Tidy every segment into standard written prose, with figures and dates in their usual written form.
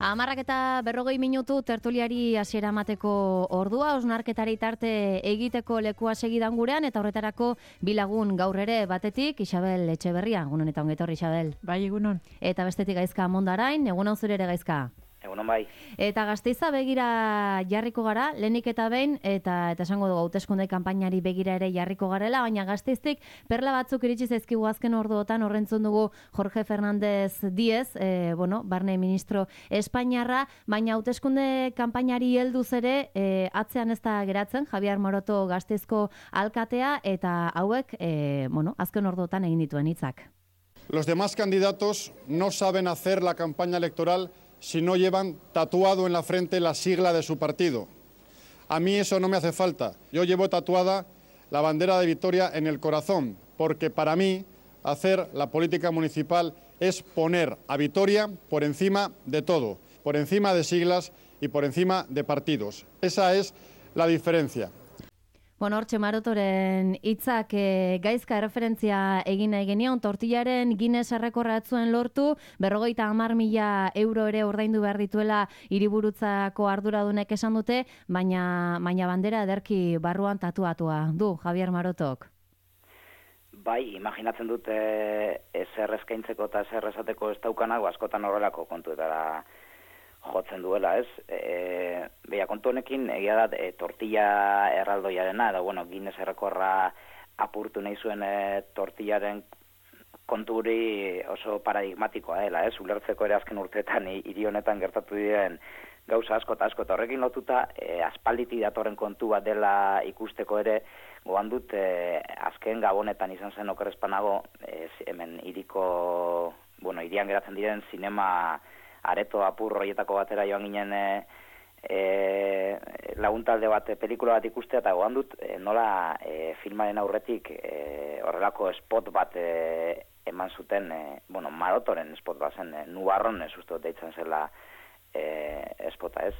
10:40 tertuliari hasiera emateko ordua, hausnarketari tarte egiteko lekua segidan gurean, eta horretarako bilagun gaur ere batetik, Isabel Etxeberria. Egunon eta ongetorri, Isabel. Bai, egunon. Eta bestetik Gaizka Mondarain, egunon zure ere Gaizka. Egunon bai. Eta Gasteiza begira jarriko gara, lehenik eta behin, eta esango dugu hauteskunde kanpainari begira ere jarriko garela, baina Gasteiztik perla batzuk iritsi zaizkigu azken orduotan, horrentzun dugu Jorge Fernández Díez, barne ministro Espainiarra, baina hauteskunde kanpainari helduz ere atzean ez da geratzen, Javier Maroto Gasteizko alkatea, eta hauek, azken orduotan egin dituen hitzak. Los demás candidatos no saben hacer la campaña electoral si no llevan tatuado en la frente la sigla de su partido. A mí eso no me hace falta. Yo llevo tatuada la bandera de Vitoria en el corazón, porque para mí hacer la política municipal es poner a Vitoria por encima de todo, por encima de siglas y por encima de partidos. Esa es la diferencia. Hortxe Marotoren hitzak Gaizka erreferentzia egin nahi genion, tortillaren Guinness errekorra zuen lortu, 50.000 euro ere ordaindu behar dituela hiriburutzako arduradunek esan dute, baina bandera ederki barruan tatuatua du Javier Marotok. Bai, imaginatzen dut ezer eskaintzeko eta ezer esateko ez daukanago askotan horrelako kontuetara jotzen duela, ez? Beha, kontu honekin, egia da, tortilla erraldoiarena, edo, Guinness errekorra apurtu nahi zuen tortillaren konturi oso paradigmatikoa dela, ez? Ulertzeko ere azken urteetan hiri honetan gertatu diren gauza asko eta horrekin lotuta, aspalditi datorren kontu bat dela ikusteko ere, goan dut, azken gabonetan izan zen okerrezpanago, hemen hirian geratzen diren zinema areto apur horietako batera joan ginen laguntalde bat, pelikula bat ikustea, eta goan dut nola filmaren aurretik horrelako spot bat eman zuten, Marotoren spot bat zen, Nubarron ez uste deitzen zela spota, ez?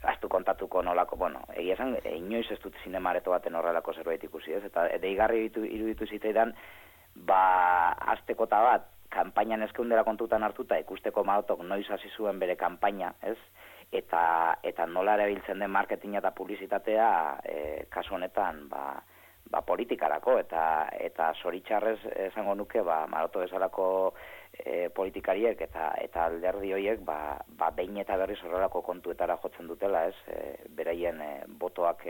Aztu kontatuko nolako, egia esan, inoiz ez dut zinema areto baten horrelako zerbait ikusi, ez? Eta deigarri iruditu zitzaidan, aztekota bat, kanpainan eskeundera kontutan hartuta ikusteko Marotok noiz hasi zuen bere kanpaina, ez? Eta nola erabiltzen den marketinga eta publizitatea kasu honetan politikarako eta zoritxarrez esango nuke Maroto bezalako politikariek eta alderdi horiek behin eta berriz horrelako kontuetara jotzen dutela, ez? Beraien botoak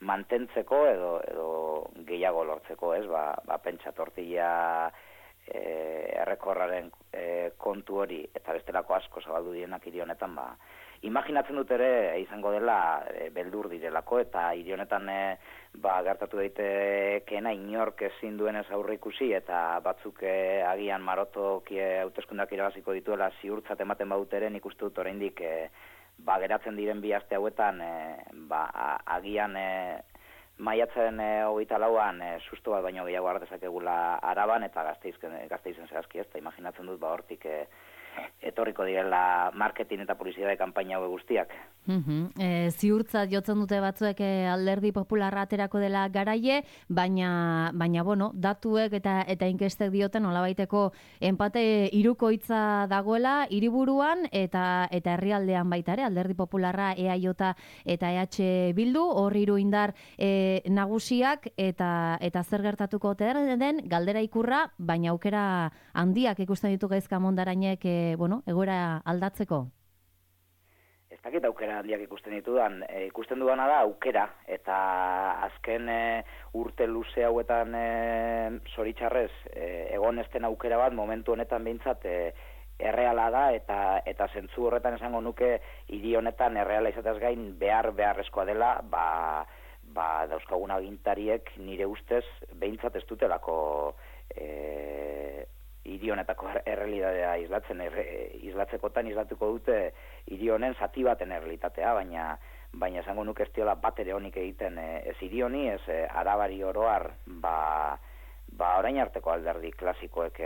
mantentzeko edo gehiago lortzeko, ez? Pentsa tortilla errekorraren kontu hori eta bestelako asko zabaldu dienak hiri honetan, imaginatzen dut ere izango dela beldur direlako, eta hiri honetan gertatu daitekeena inork ezin duenez aurre ikusi, eta batzuk agian Marotok hauteskundeak irabaziko dituela ziurtzat ematen badut ere, nik uste dut oraindik geratzen diren bi aste hauetan agian maiatzaren 24an susto bat baino gehiago ardezakegula Araban eta Gasteizen zehazki, ez da imaginatzen dut hortik etorriko direla marketing eta publizitate kanpaina hau guztiak. Ziurtzat jotzen dute batzuek alderdi popularra aterako dela garaie, baina datuek eta inkestek dioten nolabaiteko enpate hirukoitza dagoela hiriburuan eta herrialdean baita ere, alderdi popularra EAJ eta EH Bildu, hor hiru indar nagusiak eta zer gertatuko den galdera ikurra, baina aukera handiak ikusten ditu Gaizka Mondarainek egoera aldatzeko. Ez dakit aukera handiak ikusten ditudan, ikusten dudana da aukera, eta azken urte luze hauetan zoritxarrez egon ezten aukera bat momentu honetan behintzat erreala da, eta zentzu horretan esango nuke hiri honetan erreala izatez gain beharrezkoa dela, dauzkagun agintariek nire ustez behintzat ez dutelako hiri honetako errealitatea islatzekotan islatuko dute hiri honen zati baten errealitatea, baina esango nuke ez diola bat ere honik egiten ez hiri honi, ez Arabari oroar, orain arteko alderdi klasikoek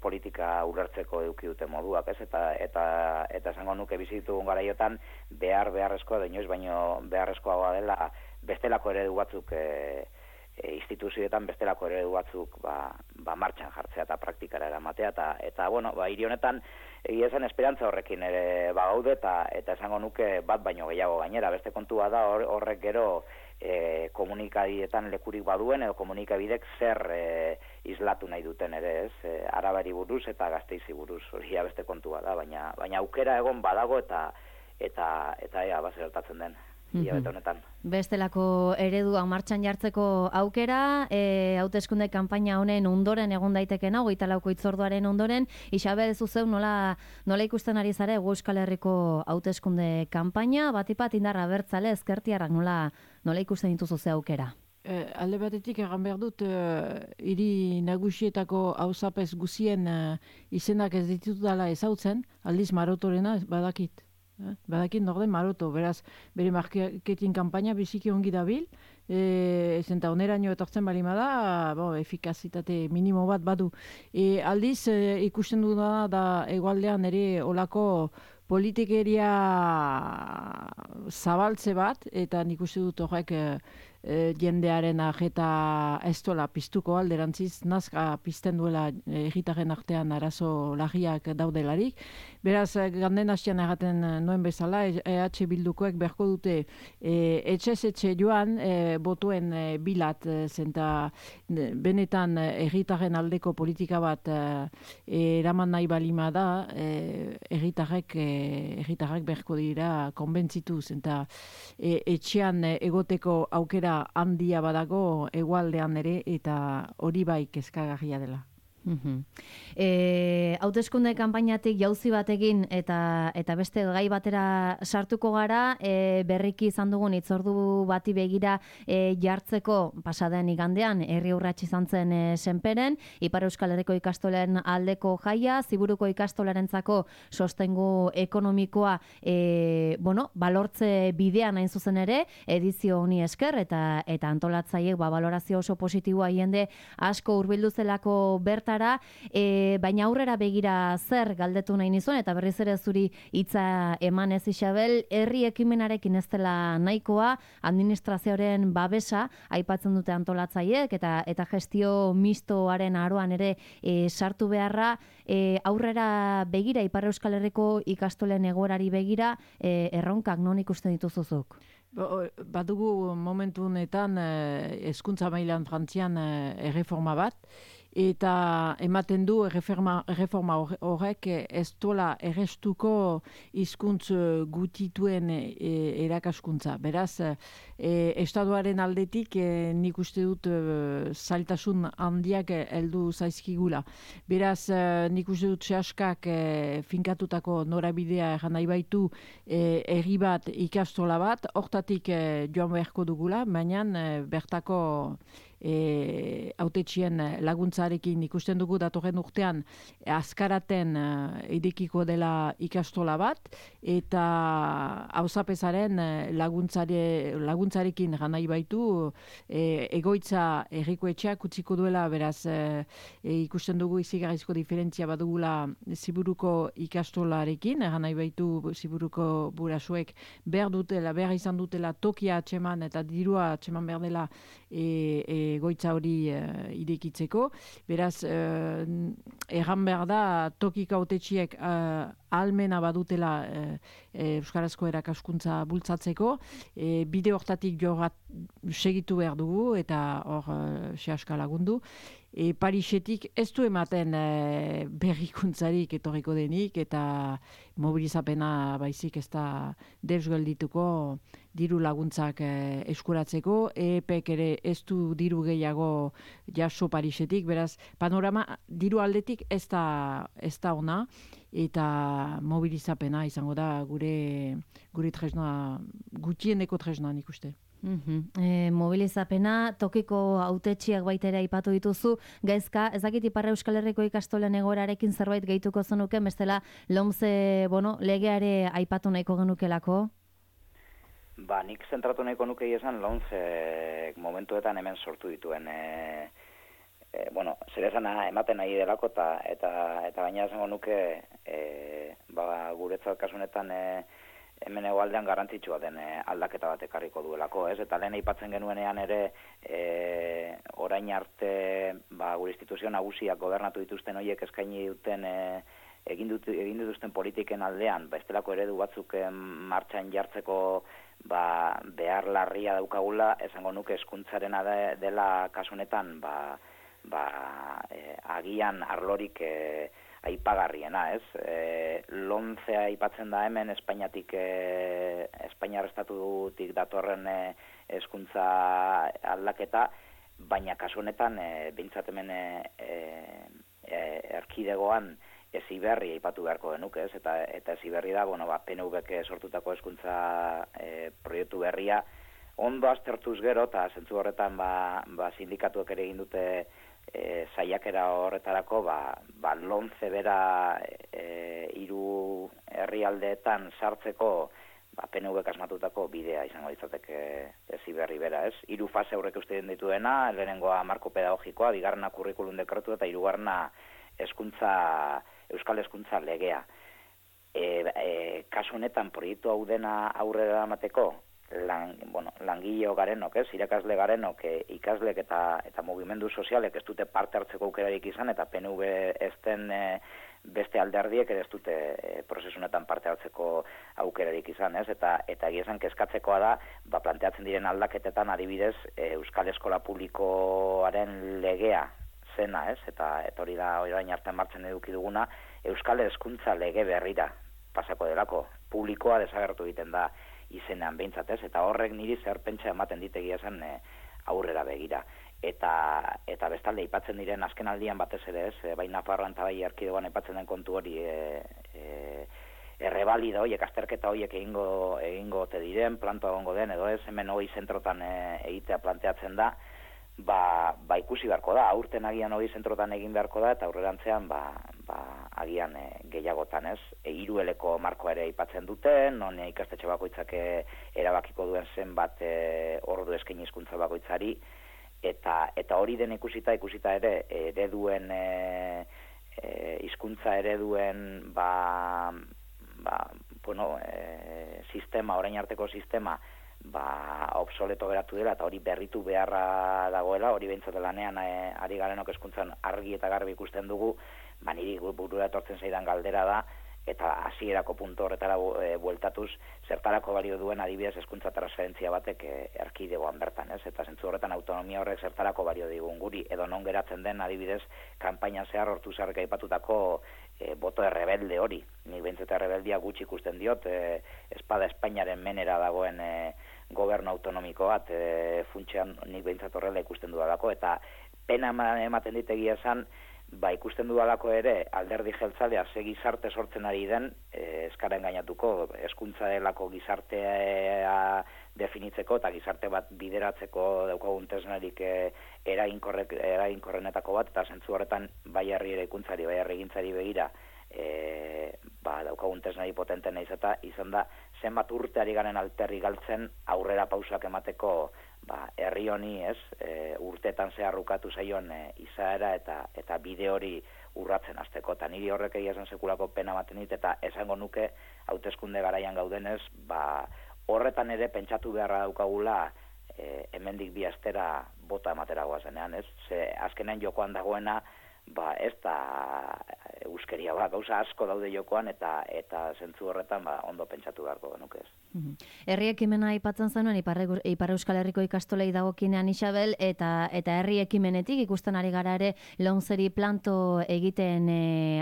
politika ulertzeko eduki dute moduak, ez? Eta esango nuke bizitugun garaiotan beharrezkoa da inoiz, baino beharrezkoa dela bestelako eredu batzuk instituzioetan bestelako eredu batzuk martxan jartzea eta praktikara eramatea, eta bueno, hiri honetan, egia esan esperantza horrekin ere gaude, eta esango nuke bat baino gehiago gainera, beste kontua da horrek gero komunikabietan lekurik baduen, edo komunikabidek zer islatu nahi duten ere, ez? Arabari buruz eta Gasteizi buruz, hori beste kontua da, baina aukera egon badago eta ea bazertatzen den. Honetan. Bestelako ereduak martxan jartzeko aukera, hauteskunde kanpaina honen ondoren egon daitekeen 24ko hitzorduaren ondoren, Isabel zuzeu nola ikusten ari zare Euskal Herriko hauteskunde kanpaina, batipat indarra abertzale ezkertiarrak nola ikusten dituzu ze aukera? Alde batetik egan behar dut, hiri nagusietako auzapez guzien izenak ez ditutela ezautzen, aldiz Marotorena badakit. Badakit norden Maroto, beraz, bere marketing kanpaina biziki ongi dabil, zenta oneraino etortzen balima da, efikazitate minimo bat badu. Aldiz, ikusten dudana da hegoaldean ere olako politikeria zabaltze bat, eta nik uste dut horrek jendearen ajeta ez dola piztuko alderantziz, nazka pizten duela herritarren artean arazo larriak daudelarik. Beraz, ganden hastian erraten noen bezala, EH Bildukoek berko dute etxe joan botuen bilat, zenta benetan herritarren aldeko politika bat eraman nahi balima da, herritarrak berko dira konbentzitu, zenta etxean egoteko aukera handia badago hegoaldean ere, eta hori bai kezkagarria dela. Hauteskunde kanpainatik jauzi batekin eta beste gai batera sartuko gara, berriki izan dugun hitzordu bati begira jartzeko pasaden igandean herri urrats izan zen Senperen, Ipar Euskal Herriko ikastolen aldeko jaia, Ziburuko ikastolarentzako sostengu ekonomikoa balortze bidean hain zuzen ere, edizio honi esker eta antolatzaileek balorazio oso positiboa jende asko hurbildu zelako berta, baina aurrera begira zer galdetu nahi nizun, eta berriz ere zuri hitza eman ez Isabel, herri ekimenarekin ez dela nahikoa, administrazioaren babesa aipatzen dute antolatzaileek eta gestio mistoaren aroan ere sartu beharra, aurrera begira, Ipar Euskal Herriko ikastolen egoerari begira, erronkak non ikusten dituzuzuk? Badugu momentu honetan hezkuntza mailan Frantzian erreforma bat, eta ematen du erreforma horrek ez dola errestuko hizkuntz gutituen erakaskuntza. Beraz, estatuaren aldetik nik uste dut zailtasun handiak heldu zaizkigula. Beraz, nik uste dut sehaskak finkatutako norabidea eran nahi baitu herri bat ikastola bat, hortatik joan beharko dugula, baina bertako hautetxien laguntzarekin ikusten dugu datorren urtean azkaraten irekiko dela ikastola bat, eta auzapezaren laguntzarekin ganai baitu egoitza herrikoetxeak utziko duela, beraz ikusten dugu izigarrizko diferentzia badugula Ziburuko ikastolarekin, ganai baitu Ziburuko burasuek behar izan dutela tokia atxeman eta dirua atxeman behar dela egoitza hori irekitzeko. Beraz, erran behar da tokiko hautetxiek ahalmena badutela euskarazko erakaskuntza bultzatzeko, bide hortatik segitu behar dugu eta hor sehaska lagundu. Parisetik ez du ematen berrikuntzarik etorriko denik, eta mobilizapena baizik ez da deusgeldituko diru laguntzak eskuratzeko, EPek ere ez du diru gehiago jaso Parisetik, beraz panorama diru aldetik ez da ona, eta mobilizapena izango da gure tresna, gutieneko tresna nik uste. Mobilizapena, tokiko hautetxiak baitera aipatu dituzu, gaizka, ez dakit Ipar Euskal Herriko ikastolen egoerarekin zerbait gehituko zenuke, bestela LOMCE legeare aipatu nahiko genukelako? Nik zentratu nahiko nuke esan LOMCE momentuetan hemen sortu dituen zer esana ematen nahi delako eta baina esango nuke guretzat kasunetan hemen hegoaldean garrantzitsua den aldaketa bat ekarriko duelako, ez? Eta lehen aipatzen genuenean ere orain arte gure instituzio nagusiak gobernatu dituzten horiek eskaini duten egin dituzten politiken aldean, bestelako eredu batzuk martxan jartzeko behar larria daukagula, esango nuke hezkuntzarena dela kasu honetan agian arlorik aipagarriena, ez? Lomcea aipatzen da hemen Espainiar estatutik datorren hezkuntza aldaketa, baina kasu honetan behintzat hemen erkidegoan Heziberri aipatu beharko genuke, ez? Eta Heziberri da, PNV-k sortutako hezkuntza proiektu berria ondo aztertuz gero, eta zentzu horretan sindikatuek ere egin dute saiakera horretarako, Lomce bera 3 herrialdeetan sartzeko PNV-k asmatutako bidea izango litzateke Heziberri bera, ez? 3 fase aurrek uste dituena, lehenengoa marko pedagogikoa, bigarrena kurrikulum dekretu eta hirugarrena Euskal Hezkuntza legea. Kasu honetan proiektu hau dena aurrera eramateko, langileo garenok, irakasle garenok, ikaslek eta mugimendu sozialek ez dute parte hartzeko aukerarik izan, eta PNV ez den beste alderdiek ere ez dute prozesunetan parte hartzeko aukerarik izan, ez? Eta egia esan kezkatzekoa da, planteatzen diren aldaketetan adibidez Euskal Eskola Publikoaren legea zena, ez? Eta hori da orain arte martxan eduki duguna, Euskal Hezkuntza lege berrira pasako delako, publikoa desagertu egiten da izenean behintzat, ez? Eta horrek niri zer pentsa ematen ditegia zen aurrera begira. Eta bestalde aipatzen diren azken aldian batez ere, ez? Bai Nafarroan eta bai erkidegoan aipatzen den kontu hori errebalida horiek, azterketa horiek egingo ote diren, plantoa egongo den, edo ez, hemen hori zentrotan egitea planteatzen da, ikusi beharko da, aurten agian hori zentrotan egin beharko da, eta aurrerantzean agian gehiagotan, ez? 3 eleko markoa ere aipatzen duten, non ikastetxe bakoitzak erabakiko duen zenbat ordu eskaini hizkuntza bakoitzari, eta hori den ikusita ere ereduen hizkuntza ereduen sistema, orain arteko sistema obsoleto geratu dela, eta hori berritu beharra dagoela, hori behintzat lanean ari garenok hezkuntzan argi eta garbi ikusten dugu, niri burura etortzen zaidan galdera da, eta hasierako puntu horretara bueltatuz, zertarako balio duen adibidez hezkuntza transferentzia batek erkidegoan bertan, ez? Eta zentzu horretan autonomia horrek zertarako balio digun guri, edo non geratzen den adibidez kanpainan zehar hortu zarrek aipatutako boto errebelde hori. Nik behintzat errebeldia gutxi ikusten diot, espada Espainiaren menera dagoen gobernu autonomiko bat, funtsean nik behintzat horrela ikusten dudalako, eta pena ematen ditegia esan, ikusten dudalako ere alderdi jeltzalea ze gizarte sortzen ari den, eskaren gainatuko, hezkuntza delako gizartea definitzeko eta gizarte bat bideratzeko daukagun tresnarik eraginkorrenetako bat, eta zentzu horretan bai herri eraikuntzari, bai herrigintzari begira daukagun tresnari potentena izan da, zenbat urte ari garen alterri galtzen aurrera pausak emateko herri honi, ez, urteetan zeharrukatu zaion izaera eta bide hori urratzen hasteko, eta niri horrek egia esan sekulako pena ematen dit, eta esango nuke hauteskunde garaian gaudenez, horretan ere pentsatu beharra daukagula hemendik bi astera bota ematera goazenean, ez? Ze azkenean jokoan dagoena ez da euskeria gauza asko daude jokoan, eta zentzu horretan ondo pentsatu beharko genuke, ez. Herri ekimena aipatzen zenuen Ipar Euskal Herriko ikastolei dagokinean, Isabel, eta herri ekimenetik ikusten ari gara ere Lomceri planto egiten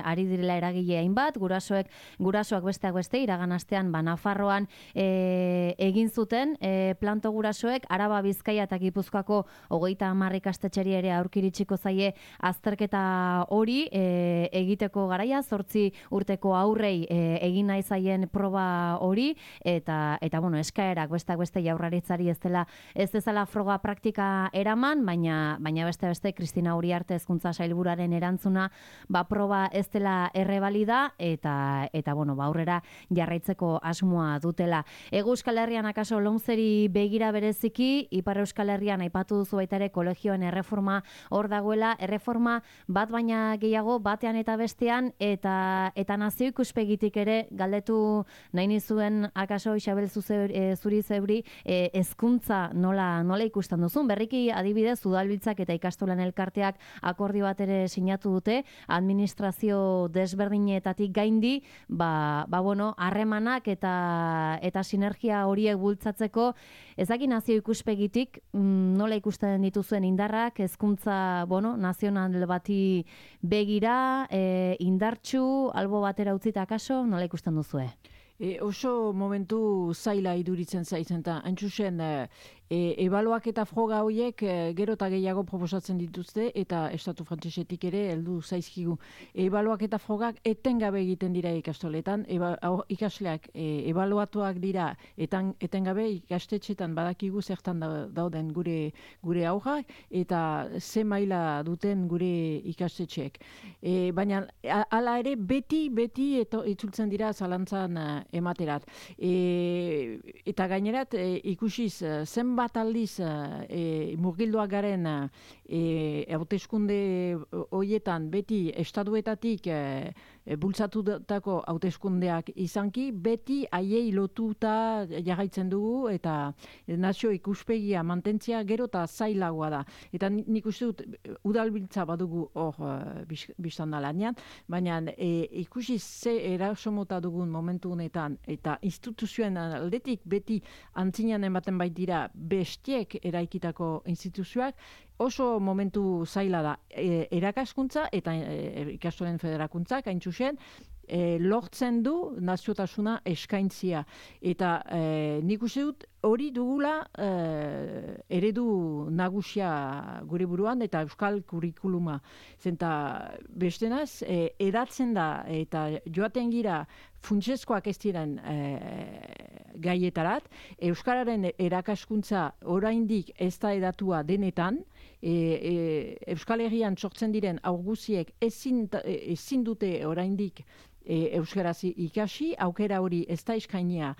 ari direla eragile hainbat, gurasoak besteak beste iragan astean Nafarroan egin zuten planto gurasoek, Araba, Bizkaia eta Gipuzkoako 30 ikastetxeri ere aurkiritsiko zaie azterketa hori egiteko garaia, 8 urteko aurrei egin nahi zaien proba hori, eta bueno, eskaerak beste Jaurlaritzari ez dezala froga praktika eraman, baina beste Kristina Uriarte hezkuntza sailburuaren erantzuna, proba ez dela errebalida, eta bueno, aurrera jarraitzeko asmoa dutela. Hego Euskal Herrian akaso Lomceri begira bereziki, Ipar Euskal Herrian aipatu duzu baita ere kolegioen erreforma hor dagoela, erreforma bat baina gehiago batean eta bestean, eta nazio ikuspegitik ere galdetu nahi nizuen akaso Isabel zuri zeuri hezkuntza nola ikusten duzun. Berriki adibidez udalbiltzak eta ikastolan elkarteak akordio bat ere sinatu dute, administrazio desberdinetatik gaindi, bueno, harremanak eta sinergia horiek bultzatzeko, ezaki nazio ikuspegitik nola ikusten dituzuen indarrak, hezkuntza, bueno, nazional bati begira, indartsu, albo batera utzita akaso, nola ikusten duzue? Oso momentu zaila iduritzen zaitzen, eta haintzuzen ebaluak eta froga horiek gero eta gehiago proposatzen dituzte, eta estatu frantsesetik ere heldu zaizkigu. Ebaluak eta frogak etengabe egiten dira ikastoletan, ikasleak ebaluatuak dira etengabe ikastetxetan badakigu zertan dauden gure aurrak, eta ze maila duten gure ikastetxeek. Baina hala ere beti itzultzen dira zalantzan ematerat. Eta gainerat ikusiz zenbat aldiz murgilduak garen hauteskunde horietan beti estatuetatik bultzatutako hauteskundeak izanki, beti haiei lotuta jarraitzen dugu eta nazio ikuspegia mantentzea gero eta zailagoa da. Eta nik uste dut udalbiltza badugu hor biztan da lanean, baina ikusi ze erasomota dugun momentu honetan eta instituzioen aldetik beti antzinean ematen baitira bestiek eraikitako instituzioak, oso momentu zaila da. Erakaskuntza eta ikastolen federakuntzak haintzuzen lortzen du naziotasuna eskaintzia. Eta nik uste dut hori dugula eredu nagusia gure buruan eta euskal kurikuluma. Zenta bestenaz, edatzen da eta joaten gira funtsezkoak ez diren gaietarat, euskararen erakaskuntza oraindik ez da edatua denetan, Euskal Herrian sortzen diren aurguziek ezin dute oraindik euskaraz ikasi, aukera hori ez da eskainia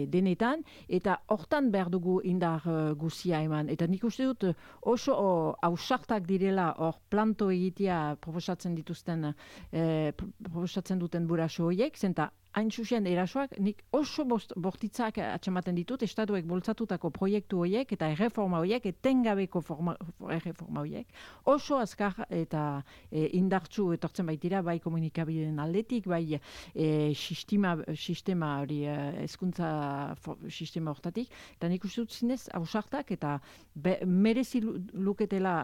denetan, eta hortan behar dugu indar guzia eman. Eta nik uste dut oso ausartak direla hor planto egitea proposatzen duten buraso horiek, zenta hain zuzen erasoak, nik oso bortitzak atxamaten ditut, estatuek boltzatutako proiektu horiek eta erreforma horiek, etengabeko erreforma horiek, oso azkar eta indartsu etortzen baitira, bai komunikabideen aldetik, bai sistema hori, hezkuntza sistema hortatik, eta nik uste dut zinez ausartak eta merezi luketela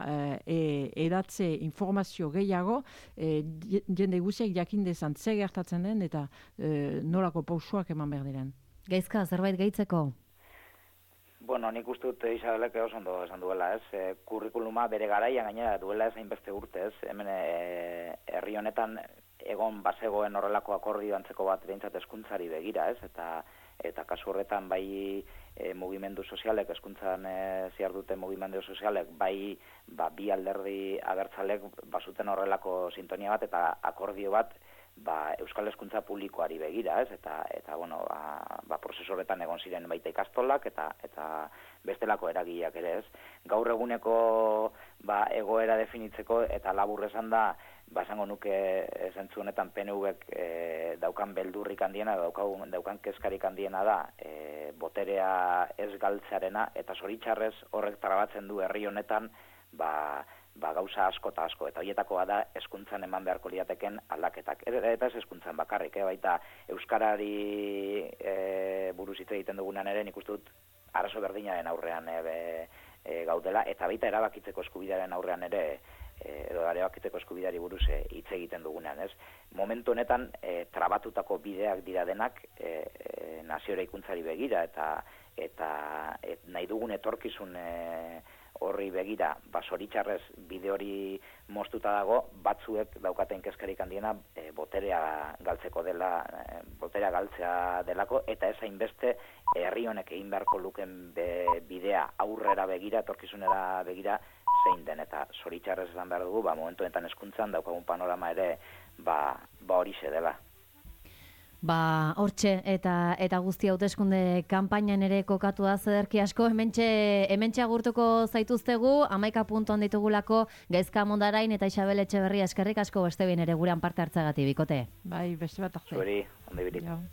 edatze informazio gehiago, jende guziak jakindezan ze gertatzen den eta nolako pausoak eman behar diren. Gaizka, zerbait gehitzeko? Bueno, nik uste dut Isabelek oso ondo esan duela, ez? Kurrikuluma bere garaian gainera duela ez hainbeste urte, ez? Hemen herri honetan egon bazegoen horrelako akordio antzeko bat behintzat hezkuntzari begira, ez? Eta kasu horretan bai mugimendu sozialek, hezkuntzan ziar dute mugimendu sozialek, bai bi alderdi abertzalek bazuten horrelako sintonia bat eta akordio bat euskal hezkuntza publikoari begira, ez? Eta bueno, prozesu horretan egon ziren baita ikastolak eta bestelako eragileak ere, ez? Gaur eguneko egoera definitzeko eta labur esan da, esango nuke zentzu honetan PNVek daukan beldurrik handiena, daukan kezkarik handiena da, boterea ez galtzearena, eta zoritxarrez horrek trabatzen du herri honetan, gauza asko eta asko, eta horietakoa da hezkuntzan eman beharko liateken aldaketak. Eta ez hezkuntzan bakarrik, baita euskarari buruz hitz egiten dugunan ere, nik uste dut arazo berdinaren aurrean gaudela, eta baita erabakitzeko eskubidearen aurrean ere, edo erabakitzeko eskubideari buruz hitz egiten dugunean, ez? Momentu honetan trabatutako bideak dira denak nazio eraikuntzari begira, eta nahi dugun etorkizun horri begira, zoritxarrez bide hori moztuta dago, batzuek daukaten kezkarik handiena boterea galtzeko dela, boterea galtzea delako, eta ez hainbeste herri honek egin beharko luken bidea aurrera begira, etorkizunera begira, zein den, eta zoritxarrez esan behar dugu, momentu honetan hezkuntzan daukagun panorama ere, horixe dela. Hortxe eta guzti hauteskunde kanpainan ere kokatu da zederki asko, hementxe agurtuko zaituztegu, 11 puntuan ditugulako Gaizka Mondarain eta Isabel Etxeberria, eskerrik asko beste behin ere gurean parte hartzagatik, bikote. Bai, beste bat arte. Zuri, ondo ibilik.